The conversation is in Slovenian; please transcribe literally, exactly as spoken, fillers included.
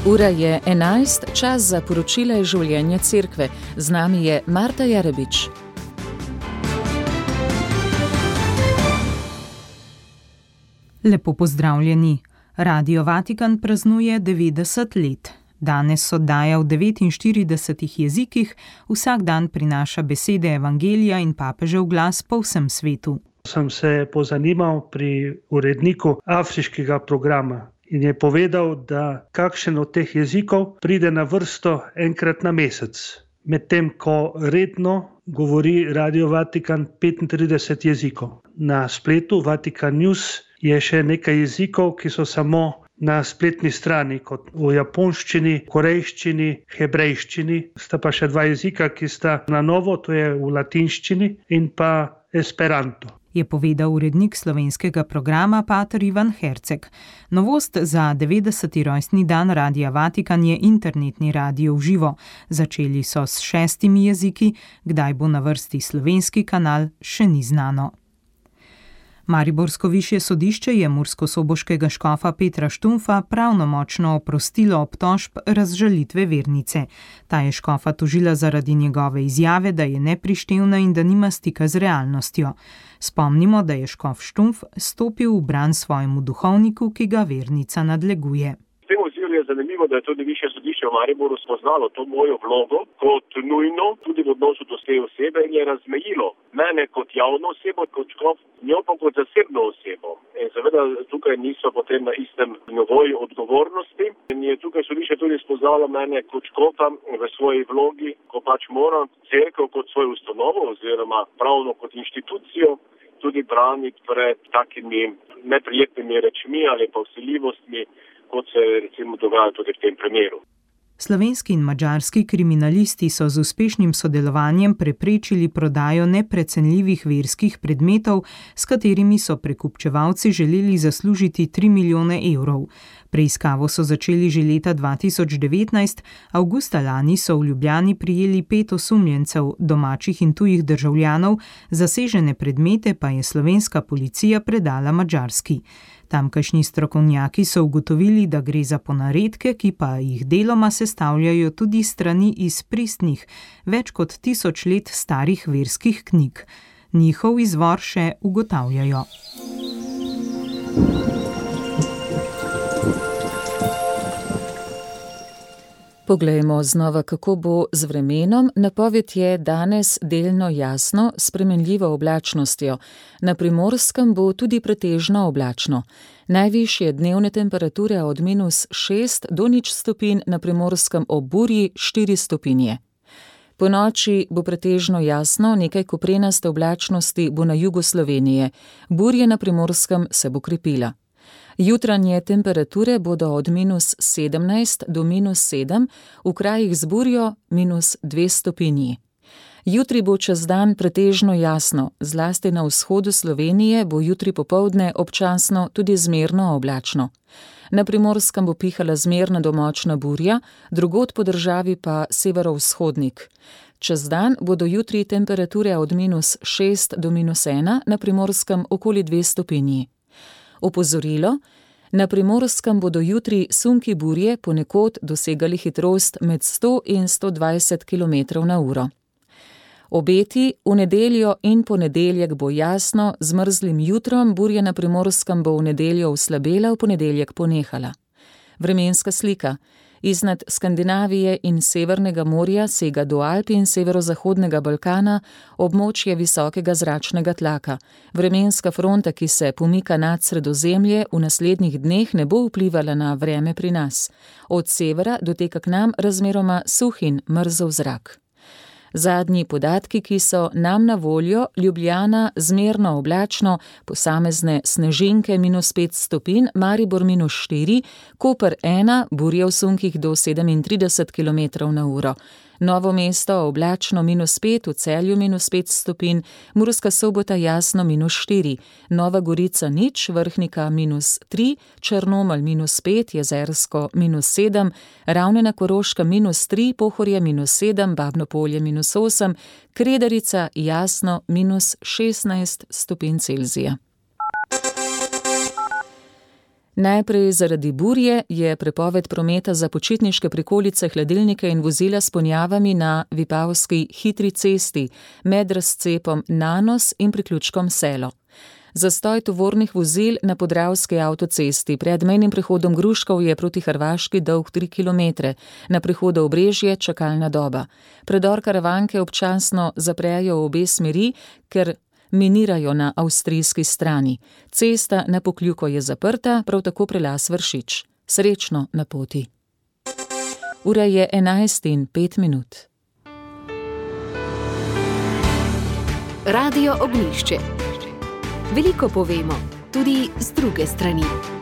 Ura je enajst, čas za poročila iz življenja cerkve. Z nami je Marta Jarebič. Lepo pozdravljeni. Radio Vatikan praznuje devetdeset let. Danes oddaja v devetinštiridesetih jezikih, vsak dan prinaša besede evangelija in papežev glas po vsem svetu. Sem se pozanimal pri uredniku afriškega programa in je povedal, da kakšen od teh jezikov pride na vrsto enkrat na mesec. Medtem ko redno govori Radio Vatikan petintrideset jezikov. Na spletu Vatikan News je še nekaj jezikov, ki so samo na spletni strani, kot v japonščini, korejščini, hebrejščini. Sta pa še dva jezika, ki sta na novo, to je v latinščini in pa esperanto. Je povedal urednik slovenskega programa pater Ivan Herceg. Novost za devetdeseti rojstni dan Radia Vatikan je internetni radio v živo. Začeli so s šestimi jeziki, kdaj bo na vrsti slovenski kanal, še ni znano. Mariborsko višje sodišče je murskosoboškega škofa Petra Štumfa pravnomočno oprostilo obtožb razžalitve vernice. Ta je škofa tožila zaradi njegove izjave, da je neprištevna in da nima stika z realnostjo. Spomnimo, da je škof Štumf stopil v bran svojemu duhovniku, ki ga vernica nadleguje. Je zanimivo, da je tudi višje sodišče v Mariboru spoznalo to mojo vlogo kot nujno, tudi v odnosu do te osebe in je razmejilo mene kot javno osebo, kot škof, njo pa kot zasebno osebo. In seveda tukaj niso potem na istem nivoju odgovornosti. In je tukaj sodišče tudi spoznalo mene kot škofa v svoji vlogi, ko pač moram cerkev kot svojo ustanovo oziroma pravno kot inštitucijo tudi braniti pred takimi neprijetnimi rečmi ali pa vsiljivostmi, kot se recimo dogaja tudi v tem primeru. Slovenski in madžarski kriminalisti so z uspešnim sodelovanjem preprečili prodajo neprecenljivih verskih predmetov, s katerimi so prekupčevalci želeli zaslužiti tri milijone evrov. Preiskavo so začeli že leta dva tisoč devetnajst, avgusta lani so v Ljubljani prijeli pet osumljencev, domačih in tujih državljanov, zasežene predmete pa je slovenska policija predala madžarski. Tamkajšnji strokovnjaki so ugotovili, da gre za ponaredke, ki pa jih deloma sestavljajo tudi strani iz pristnih, več kot tisoč let starih verskih knjig. Njihov izvor še ugotavljajo. Poglejmo znova, kako bo z vremenom. Napoved je danes delno jasno, s spremenljivo oblačnostjo. Na Primorskem bo tudi pretežno oblačno. Najvišje dnevne temperature od minus šest do nič stopinj, na Primorskem ob burji štiri stopinje. Po noči bo pretežno jasno, nekaj koprenaste oblačnosti bo na jugu Slovenije. Burja na Primorskem se bo krepila. Jutranje temperature bodo od minus sedemnajst do minus sedem, v krajih z burjo minus dve stopinji. Jutri bo čez dan pretežno jasno, zlasti na vzhodu Slovenije bo jutri popoldne občasno tudi zmerno oblačno. Na Primorskem bo pihala zmerna do močna burja, drugod po državi pa severovzhodnik. Čez dan bodo jutri temperature od minus šest do minus ena, na Primorskem okoli dve stopinji. Opozorilo, na Primorskem bodo jutri sunki burje ponekod dosegali hitrost med sto in sto dvajset kilometrov na uro. Obeti v nedeljo in ponedeljek bo jasno, z mrzlim jutrom, burja na Primorskem bo v nedeljo oslabela, v ponedeljek ponehala. Vremenska slika. Iznad Skandinavije in Severnega morja sega do Alp in severozahodnega Balkana območje visokega zračnega tlaka. Vremenska fronta, ki se pomika nad Sredozemlje, v naslednjih dneh ne bo vplivala na vreme pri nas. Od severa doteka k nam razmeroma suh in mrzel zrak. Zadnji podatki, ki so nam na voljo: Ljubljana zmerno oblačno, posamezne snežinke minus pet stopinj, Maribor minus štiri, Koper ena, burje v sunkih do sedemintrideset kilometrov na uro. Novo mesto oblačno minus pet, v Celju minus pet stopinj, Murska Sobota jasno minus štiri, Nova Gorica nič, Vrhnika minus tri, Črnomelj minus pet, Jezersko minus sedem, Ravne na Koroškem minus tri, Pohorje minus sedem, Babno Polje minus osem, Kredarica jasno minus šestnajst stopinj Celzija. Najprej zaradi burje je prepoved prometa za počitniške prikolice, hladilnike in vozila s ponjavami na Vipavski hitri cesti med razcepom Nanos in priključkom Selo. Zastoj tovornih vozil na Podravski avtocesti pred mejnim prehodom Gruškov je proti Hrvaški dolg tri kilometre, na prehodu Obrežje čakalna doba. Predor Karavanke občasno zaprejo v obe smeri, ker minirajo na avstrijski strani. Cesta na Pokljuko je zaprta, prav tako prelaz Vršič. Srečno na poti. Ura je enajst in pet minut. Radio Ognjišče. Veliko povemo, tudi z druge strani.